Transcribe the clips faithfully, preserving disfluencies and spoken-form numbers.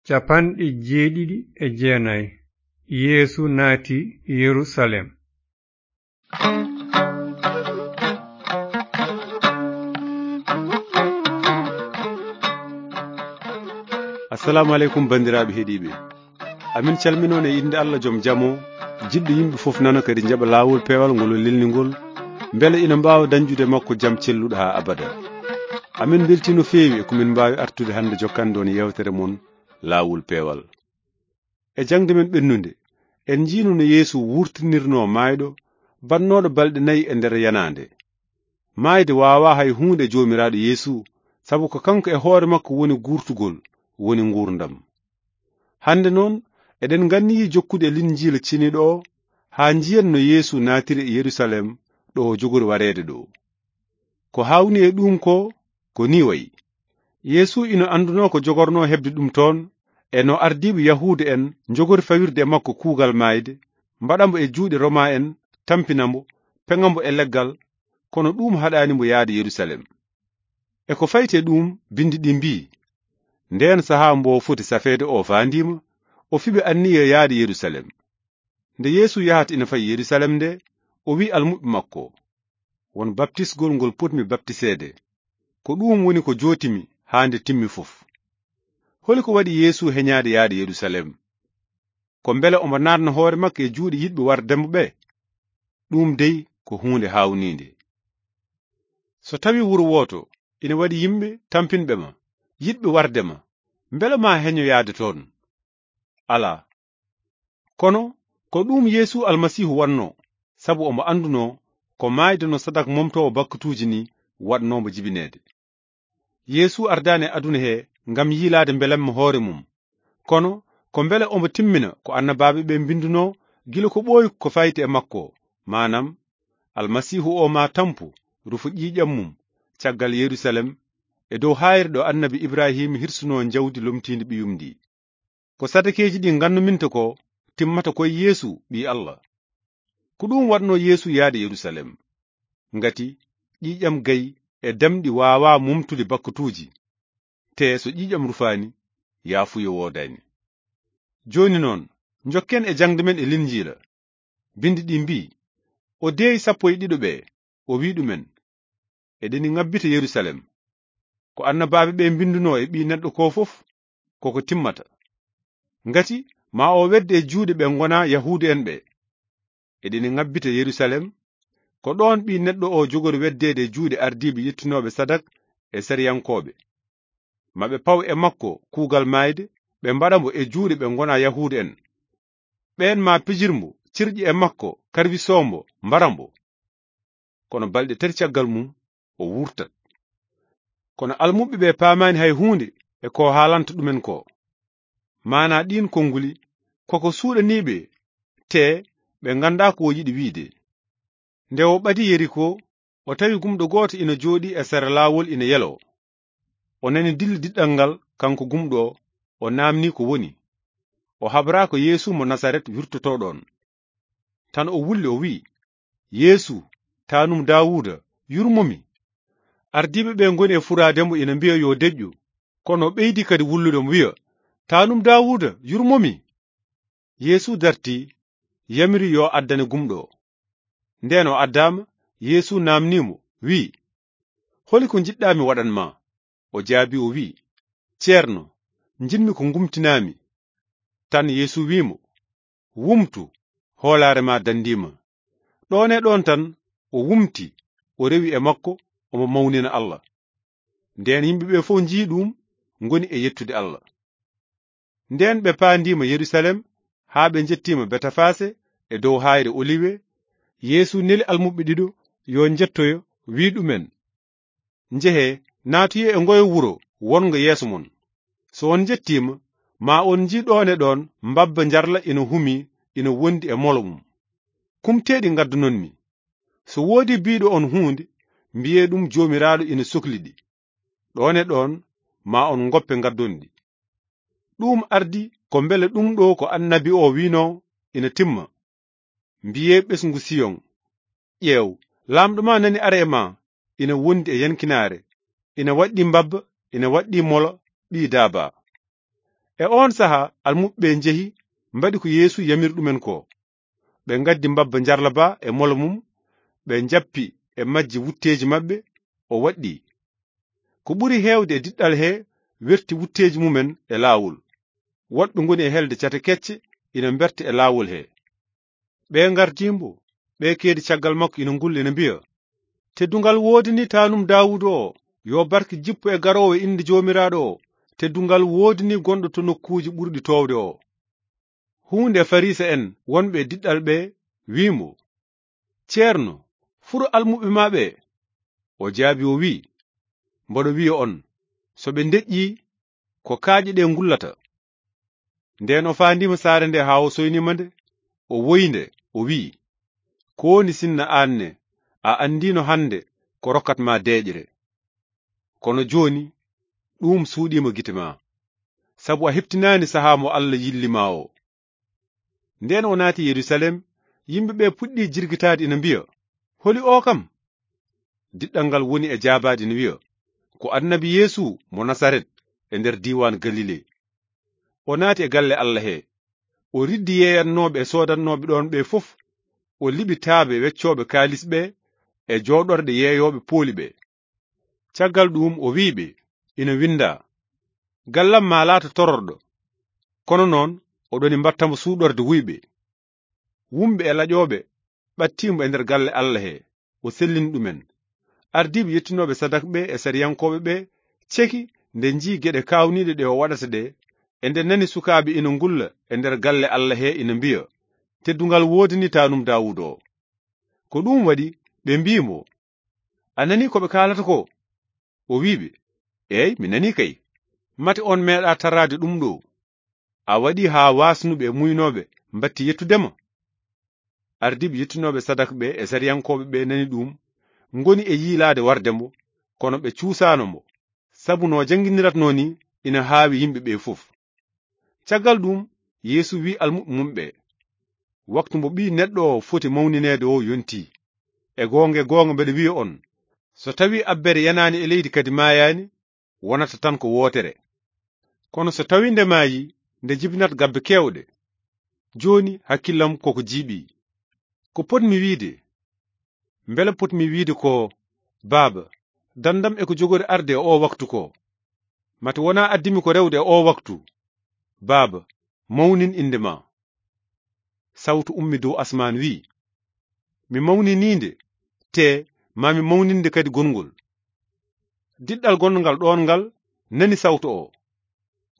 Capanɗe jeeɗiɗi e jeenayi. Yeesu naati Yerusaalem. Assalamu aleykum, banndiraaɓe heɗiiɓe. Amin calminoon e innde Allah joom jam o, jiɗɗo yimɓe fof nana kadi njaɓa laawol peewal ngol o lelni ngol, mbele ina mbaawa dañjude e makko jam celluɗo haa abada. Amin mbeltii no feewi e ko min mbaawi artude hannde jokkande on yeewtere mon, Laawol Peewal. E jaŋde men ɓennunde, en njiino no Yeesu wuurtinirnoo maayɗo, bannooɗo balɗe nayi e nder yanaande. Maayde waawaa hay huunde e Joomiraaɗo Yeesu, sabu ko kanko e hoore makko woni guurtugol, woni nguurndam. Hannde noon, eɗen nganniyii jokkude e Linjiila ceniiɗo o, haa njiyen no Yeesu naatiri e Yerusaalem, ɗo o jogori wareede ɗo. Ko haawnii e ɗuum ko, ko nii wayi. Yeesu ina anndunoo ko jogornoo heɓde ɗum toon, e no ardiiɓe Yahuuda en njogori fawirde e makko kuugal maayde, mbaɗa mbo e juuɗe Roma en, tampina mbo, peŋa mbo e leggal, kono ɗuum haɗaani mbo yahde Yerusaalem. E ko fayti e ɗuum, binndi ɗi mbii, ndeen sahaa mbo foti safeede o faandiima, o fiɓi anniya yahde Yerusaalem. Nde Yeesu yahata ina fayi Yerusaalem nde, o wi'i almuɓɓe makko, won baptisgol ngol potmi baptiseede. Ko ɗuum woni ko jootimi haa nde timmi fof. Holi ko waɗi Yeesu heñaade yahde Yerusaalem? Ko mbele omo naatna hoore makko e juuɗe yiɗɓe warde mo ɓe? Ɗuum dey ko huunde haawniinde. So tawii wuro wooto ina waɗi yimɓe tampinɓe ma, yiɗɓe warde ma, mbele ma heño yahde toon? Alaa. Kono ko ɗuum Yeesu Almasiihu waɗnoo, sabu omo anndunoo ko maayde no sadak momtoowo bakkatuuji nii waɗnoo mbo jibineede. Yeesu ardaani e aduna he ngam yiilaade mbelamma hoore mum, kono ko mbele omo timmina ko annabaaɓe ɓe mbinndunoo gila ko ɓooyi ko fayti e makko, maanam, Almasiihu o maa tampu, rufa ƴiiƴam mum, caggal Yerusaalem, e dow haayre ɗo annabi Ibrahim hirsunoo njawdi lomtiindi ɓiyum ndi. Ko sadakeeji ɗi ngannuminta ko timmata koye Yeesu, Ɓii Allah. Ko ɗuum waɗnoo Yeesu yahde Yerusaalem. Ngati ƴiiƴam gayi e damɗi waawaa mumtude bakkatuuji, te so ƴiiƴam rufaani, yaafuya woodaani. Jooni noon, njokken e jaŋde men e Linjiila. Binndi ɗi mbii, o deeyi sappo e ɗiɗo ɓe, o wii ɗumen, eɗeni ŋabbita Yerusaalem. Ko annabaaɓe ɓe mbinndunoo e Ɓii Neɗɗo ko fof, koko timmata. Ngati ma o wedde e juuɗe ɓe ngonaa Yahuudu en ɓe. Eɗeni ŋabbita Yerusaalem, ko ɗoon Ɓii Neɗɗo o jogori weddeede e juuɗe ardiiɓe yettinooɓe sadak e sariyankooɓe. Ma ɓe paw e makko kuugal maayde, ɓe mbaɗa mbo e juuɗe ɓe ngonaa Yahuudu en. Ɓeen ma pijir mbo, cirƴi e makko, karwisoo mbo, mbara mbo. Kono balɗe tati caggal mum, o wurtat. Kono almuɓɓe ɓe paamaani hay huunde e ko haalanta ɗumen ko. Maanaa ɗiin konnguli, koko suuɗanii ɓe, te ɓe nganndaa ko o yiɗi wiide. Nde o ɓadii Yeriko, o tawi gumɗo gooto ina jooɗii e sera laawol ina yeloo. O nani dille diɗɗal ngal, kanko gumɗo o, o naamnii ko woni. O habraa ko Yeesu mo Nasaret wirtotoo ɗoon. Tan o wulli, o wi'i, "Yeesu, taanum Daawuuda, yurmo mi." Ardiiɓe ɓe ngoni e furaade mo ina mbiya yo deƴƴu, kono o ɓeydi kadi wullude mo wiya, "Taanum Daawuuda, yurmo mi." Yeesu dartii, yamiri yo addane gumɗo o. Ndeen o addaama, Yeesu naamnii mo, wi'i, "Holi ko njiɗɗaa mi waɗan ma?" O jaabii, o wi'i, "Ceerno, njiɗmi ko ngumtinaa mi." Tan Yeesu wi'i mo, "Wumtu, hoolaare ma danndii ma." Ɗoon e ɗoon tan o wumti, o rewi e makko, omo mawnina Allah. Ndeen yimɓe ɓe fof njii ɗum, ngoni e yettude Allah. Ndeen ɓe paandiima Yerusaalem haa ɓe njettiima Betafase e dow haayre Oliwe. Yeesu neli almuɓɓe ɗiɗo yo njettoyo, wi'i ɗumen, "Njehee, naatoyee e ngoye wuro wonngo yeeso mon. So on njettiima, ma on njii ɗoon e ɗoon mbabba njarla ina humii, ina wondi e molo mum. Kumteeɗi ngaddanonmi. So woodii biiɗo on huunde, mbiyee ɗum Joomiraaɗo ina sokli ɗi. Ɗoon e ɗoon, ma on ngoppe ngaddon ɗi." Ɗum ardi ko mbele ɗum ɗo ko annabi o wi'noo ina timma. Mbiyee ɓesngu Siyon, "Ƴeew, Laamɗo ma nani ara e ma, ina wondi e yankinaare, ina waɗɗii mbabba, ina waɗɗii molo ɓii daaba." E oon sahaa, almuɓɓe ɓee njehi, mbaɗi ko Yeesu yamiri ɗumen koo. Ɓe ngaddi mbabba njarlaba e molo mum, ɓe njappi e majji wutteeji maɓɓe, o waɗɗii. Ko ɓuri heewde e diɗɗal hee werti wutteeji mumen e laawol. Woɗɓe ngoni e helde cate kecce ina mberta e laawol hee. Ɓee ngartii mbo, ɓee keedi caggal makko ina ngulla ina mbiya, "Teddungal woodanii taanum Daawuuda oo, yo barke jippu e garoowo e innde Joomiraaɗo oo, teddungal woodanii gonɗo to nokkuuji ɓurɗi toowde oo." Huunde e Fariisa'en wonɓe e diɗɗal ɓee wii mo, "Ceerno, furo almuɓɓe maa ɓee." O jaabii o wii, "Mboɗo wiya on, so ɓe ndeƴƴii, ko kaaƴe ɗee ngullata." Ndeen o faandiima saare ndee haa o soyniima nde, o woyi nde, o wii, "Ko woni sinna aan ne, a anndiino hannde ko rokkat maa deeƴre? Kono jooni ɗuum suuɗiima gite maa, sabu a heɓtinaani sahaa mo Alla yilli maa oo." Ndeen o naati Yerusaalem, yimɓe ɓee puɗɗii jirgitaade ina mbiya, "Holi oo kam?" Diɗɗal ngal woni e jaabaade ina wiya, "Ko annabi Yeesu mo Nasaret e nder diiwaan Galile." O naati e galle Alla hee. O riddi yeeyannooɓe e soodannooɓe ɗoon ɓee fof, o liɓi taabe weccooɓe kaalis ɓee e jooɗorɗe yeeyooɓe pooli ɓee. Caggal ɗuum o wii ɓe, "Ina winndaa, 'Gallam maa laata tororɗo.'" Kono noon, oɗoni mbatta mo suuɗorde wuyɓe. Wumɓe e laƴooɓe ɓattii mo e nder galle Alla hee, o sellini ɗumen. Ardiiɓe yettinooɓe sadak ɓee e sariyankooɓe ɓee ceki nde njii geɗe kaawniiɗe ɗe o waɗata ɗee, e nde nani sukaaɓe ina ngulla e nder galle Alla hee ina mbiya, "Teddungal woodanii taanum Daawuuda oo." Ko ɗuum waɗi ɓe mbii mo, "A nanii ko ɓe kaalata koo?" O wii ɓe, "Eey, mi nanii kay. Mate on meeɗaa taraade ɗum ɗoo? A waɗii haa waasnuɓe e muynooɓe mbattii yettude ma?" Ardiiɓe yettinooɓe sadak ɓee e sariyankooɓe ɓee nani ɗum, ngoni e yiilaade warde mo, kono ɓe cuusaano mo, sabu no janngindiratnoo nii ina haawi yimɓe ɓee fof. Caggal ɗum, Yeesu wii almuɓɓe mum ɓee, "Waktu mbo Ɓii Neɗɗo oo foti mawnineede oo yontii. E goonga, e goonga, mbeɗa wiya on, so tawii abbere yanaani e leydi kadi maayaani, wonata tan ko wootere. Kono so tawii nde maayii, nde jibinat gabbe keewɗe. Jooni, hakkillam ko ko jiiɓii. Ko potmi wiide, mbele potmi wiide ko, 'Baaba, dandam e ko jogori arde e oo waktu ko'? Mate wonaa addimi ko rewde e oo waktu. Baaba, mawnin innde maa.'" Sawtu ummi dow asmaan wii, "Mi mawninii nde, tee maa mi mawnin nde kadi gongol." Diɗɗal gonngal ɗoon ngal nani sawtu oo.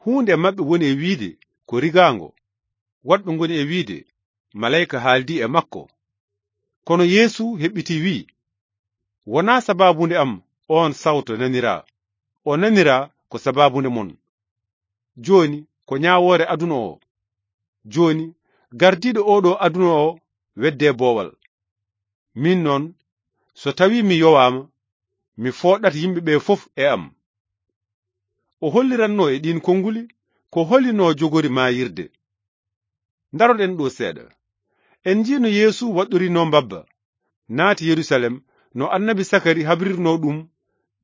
Huunde e maɓɓe woni e wiide, "Ko rigaango." Woɗɓe ngoni e wiide, "Maleyka haaldii e makko." Kono Yeesu heɓɓitii wii, "Wonaa sabaabunde am oon sawto naniraa. O naniraa ko sabaabunde mon. Jooni ko ñaawoore aduna oo. Jooni gardiiɗo oo ɗoo aduna oo weddee boowal. Miin noon, so tawii mi yowaama, mi fooɗat yimɓe ɓee fof e am." O holliratnoo e ɗiin konnguli ko holi no jogori maayirde. Ndaroɗen ɗoo seeɗa. En njii no Yeesu waɗɗorinoo mbabba, naati Yerusaalem, no annabi Sakari habrirnoo ɗum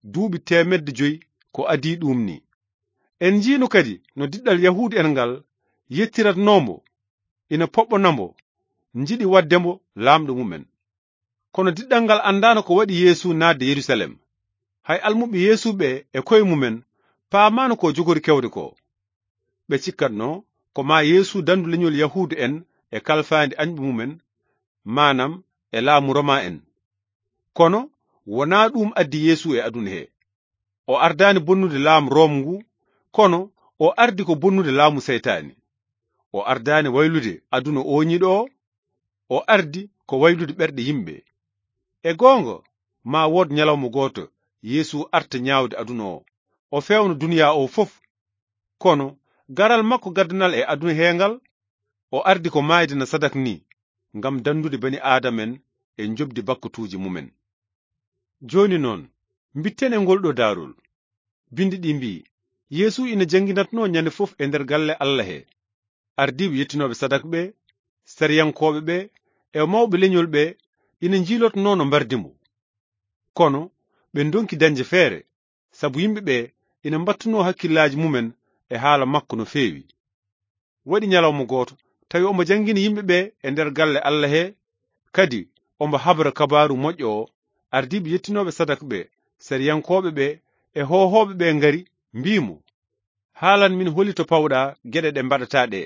duuɓi teemedde joy ko adii ɗuum nii. En njiino kadi no diɗɗal Yahuudu'en ngal yettiratnoo mbo, ina poɓɓona mbo, njiɗi waɗde mbo laamɗo mumen. Kono diɗɗal ngal anndaano ko waɗi Yeesu naatde Yerusaalem. Hay almuɓɓe Yeesu ɓee e koye mumen paamaano ko jogori kewde ko. Ɓe cikkatnoo ko maa Yeesu dandu leñol Yahuudu'en e kalfaandi añɓe mumen, maanam e laamu Roma en. Kono wonaa ɗuum addi Yeesu e aduna hee. O ardaani bonnude laamu Rom ngu, kono o ardi ko bonnude laamu Seytaani. O ardaani waylude aduna ooñiiɗo o, o ardi ko waylude ɓerɗe yimɓe. E goonga, maa wood ñalawma gooto Yeesu arta ñaawde aduna o, o feewna duniyaa o fof. Kono garal makko gaddanal e aduna hee ngal, o ardi ko maayde na sadak nii, ngam danndude bani Aadama en e njoɓdi bakkatuuji mumen. Jooni noon, mbitten e ngol ɗoo daarol. Binndi ɗii mbii, Yeesu ina jannginatnoo ñande fof e nder galle Alla hee. Ardiiɓe yettinooɓe sadak ɓee, sariyankooɓe ɓee, e mawɓe leñol ɓee ina njiilotnoo no mbardi mbo. Kono ɓe ndonki dañde feere, sabu yimɓe ɓee ina mbattunoo hakkillaaji mumen e haala makko no feewi. Waɗi ñalawma gooto, tawi omo janngini yimɓe ɓe e nder galle Alla he, kadi omo habra kabaaru moƴƴo o, ardiiɓe yettinooɓe sadak ɓe, sariyankooɓe ɓe, e hoohooɓe ɓe ngari, mbii mo, "Haalan min holi to pawɗa geɗe ɗe mbaɗata ɗe.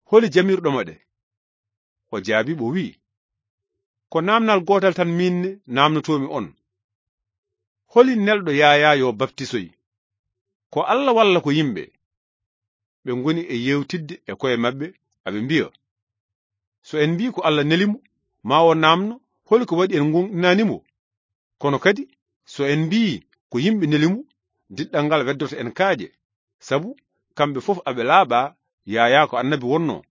Holi jamirɗoma ɗe?" O jaabii ɓe, o wi'i, "Ko naamnal gootal tan miin ne naamnotoomi on. Holi nelɗo Yaayaa yo baptisoy? Ko Alla walla ko yimɓe?" Ɓe ngoni e yeewtidde e ko'e maɓɓe, aɓe mbi'a, "So en mbii ko Alla neli mo, maa o naamno, holi ko waɗi en ngoonɗinaani mo? Kono kadi, so en mbii ko yimɓe neli mo, diɗɗal ngal weddoto en kaaƴe, sabu kamɓe fof aɓe laaɓa Yaayaa ko annabi wonnoo."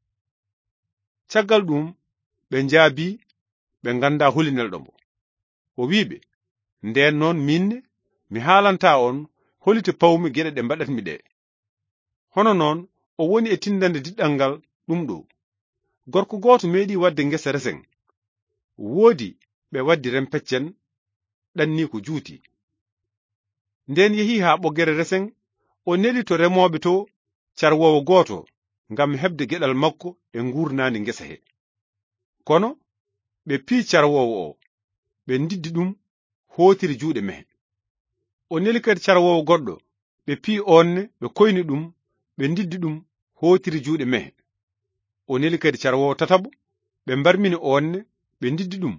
Caggal ɗum, ɓe njaabii ɓe nganndaa holi nelɗo mo. O wi'i ɓe, "Ndeen noon, miin ne, mi haalantaa on holi to pawmi geɗe ɗe mbaɗatmi ɗe. Hono noon, o woni e tindande diɗɗal ngal ɗum ɗo. Gorko gooto meeɗi waɗde ngesa resen. Woodi ɓe waddi rempeccen, ɗanni ko juuti. Ndeen yehi haa ɓoggere resen, o neli to remooɓe to carwoowo gooto ngam heɓde geɗal makko e nguurnaandi ngesa he. Kono ɓe pii carwoowo o, ɓe ndiddi ɗum, hootiri juuɗe mehe. O neli kadi carwoowo goɗɗo, ɓe pii oon ne, ɓe koyni ɗum, ɓe ndiddi ɗum, hootiri juuɗe mehe. O neli kadi carwoowo tataɓo, ɓe mbarmini oon ne, ɓe ndiddi ɗum."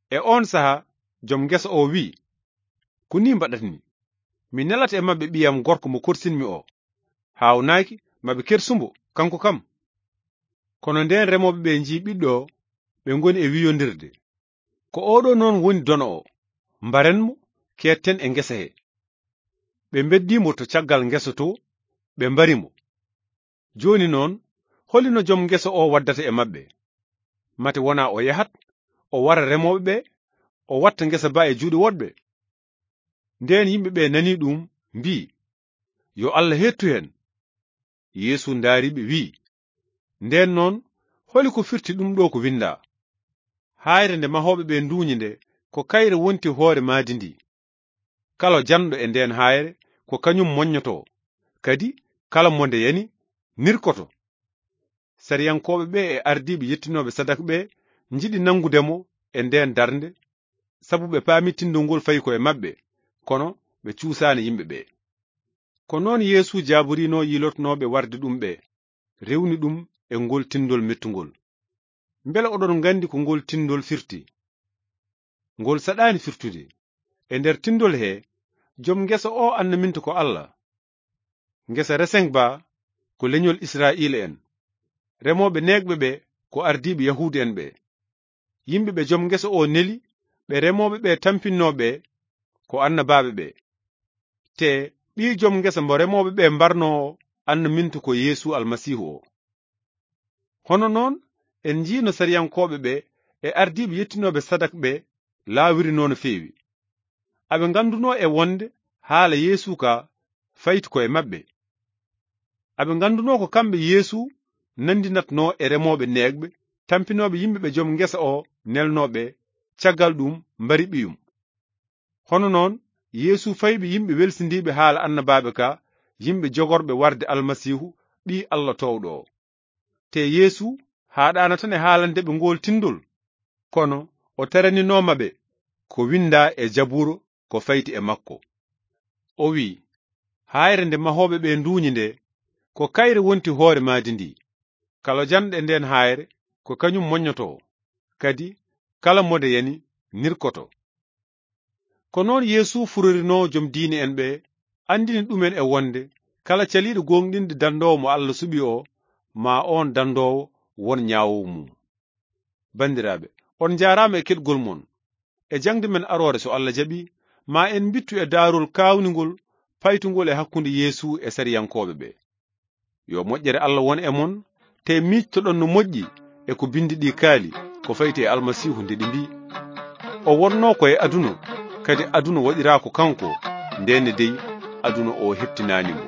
E oon sahaa, jom ngesa o wi'i, "Ko nii mbaɗatmi. Mi nelata e maɓɓe ɓiyam gorko mo korsinmi o. Haawnaaki maɓe kersu mbo, kanko kam." Kono ndeen remooɓe ɓe njii ɓiɗɗo o, ɓe ngoni e wiyondirde, "Ko oo ɗoo noon woni dono o. Mbaren mo, keetten e ngesa he." Ɓe mbeddii mo to caggal ngesa to, ɓe mbari mo. Jooni noon, holi no jom ngesa o waddata e maɓɓe? Mate wonaa o yahat, o wara remooɓe ɓe, o watta ngesa ba e juuɗe woɗɓe? Ndeen yimɓe ɓe nanii ɗum, mbii, "Yo Alla heettu heen." Yeesu ndaari ɓe, wii, "Ndeen noon, holi ko firti ɗum ɗo ko winndaa? Haayre nde mahooɓe ɓe nduuñi nde, ko kayre wonti hoore maadi ndi. Kala janɗo e ndeen haayre, ko kañum moññotoo, kadi kala mo nde yani, nirkoto." Sariyankooɓe ɓe e ardiiɓe yettinooɓe sadak ɓe njiɗi nanngude mo e ndeen darnde, sabu ɓe paami tindol ngol fayi ko e maɓɓe, kono ɓe cuusaani yimɓe ɓe. Ko noon Yeesu jaaborinoo yiilotnooɓe warde ɗum ɓe, rewni ɗum e ngol tindol mettungol. Mbele oɗon nganndi ko ngol tindol firti? Ngol saɗaani firtude. E nder tindol he, jom ngesa o annaminta ko Alla. Ngesa resen ba ko leñol Israa'iila en. Remooɓe neegɓe ɓe ko ardiiɓe Yahuudu en ɓe. Yimɓe ɓe jom ngesa o neli, ɓe remooɓe ɓe tampinnoo ɓe, ko annabaaɓe ɓe. Te ɓii jom ngesa mbo remooɓe ɓe mbarnoo o, annaminta ko Yeesu Almasiihu o. Hono noon, en njii no sariyankooɓe ɓe e ardiiɓe yettinooɓe sadak ɓe laawirnoo no feewi. Aɓe nganndunoo e wonde haala Yeesu ka fayti ko e maɓɓe. Aɓe nganndunoo ko kamɓe Yeesu nanndinatnoo e remooɓe neegɓe, tampinooɓe yimɓe ɓe jom ngesa o nelnoo ɓe, caggal ɗum mbari ɓiyum. Hono noon, Yeesu fayɓe yimɓe welsindiiɓe haala annabaaɓe ka, yimɓe jogorɓe warde Almasiihu, Ɓii Alla toowɗo o. Te Yeesu haaɗaana tan e haalande ɓe ngool tindol, kono o teraninoo ma ɓe ko winndaa e Jabuuro ko fayti e makko. O wi'i, "Haayre nde mahooɓe ɓe nduuñi nde, ko kayre wonti hoore maadi ndi. Kala janɗo e ndeen haayre, ko kañum moññotoo, kadi kala mo nde yani, nirkoto." Ko noon Yeesu furorinoo jom diine en ɓe, anndini ɗumen e wonde kala caliiɗo gooŋɗinde dandoowo mo Alla suɓi o, ma oon dandoowo won ñaawoowo mum. Banndiraaɓe, on njaaraama e keɗgol mon. E jaŋde men aroore, so Alla jaɓi, ma en mbittu e daarol kaawningol, paytungol e hakkunde Yeesu e sariyankooɓe ɓe. Yo moƴƴere Alla won e mon, te miijtoɗon no moƴƴi e ko binndi ɗi kaali, ko fayti e Almasiihu nde ɗi mbii, "O wonnoo ko e aduna, kadi aduna waɗiraa ko kanko, ndeen ne dey aduna o heɓtinaani mo."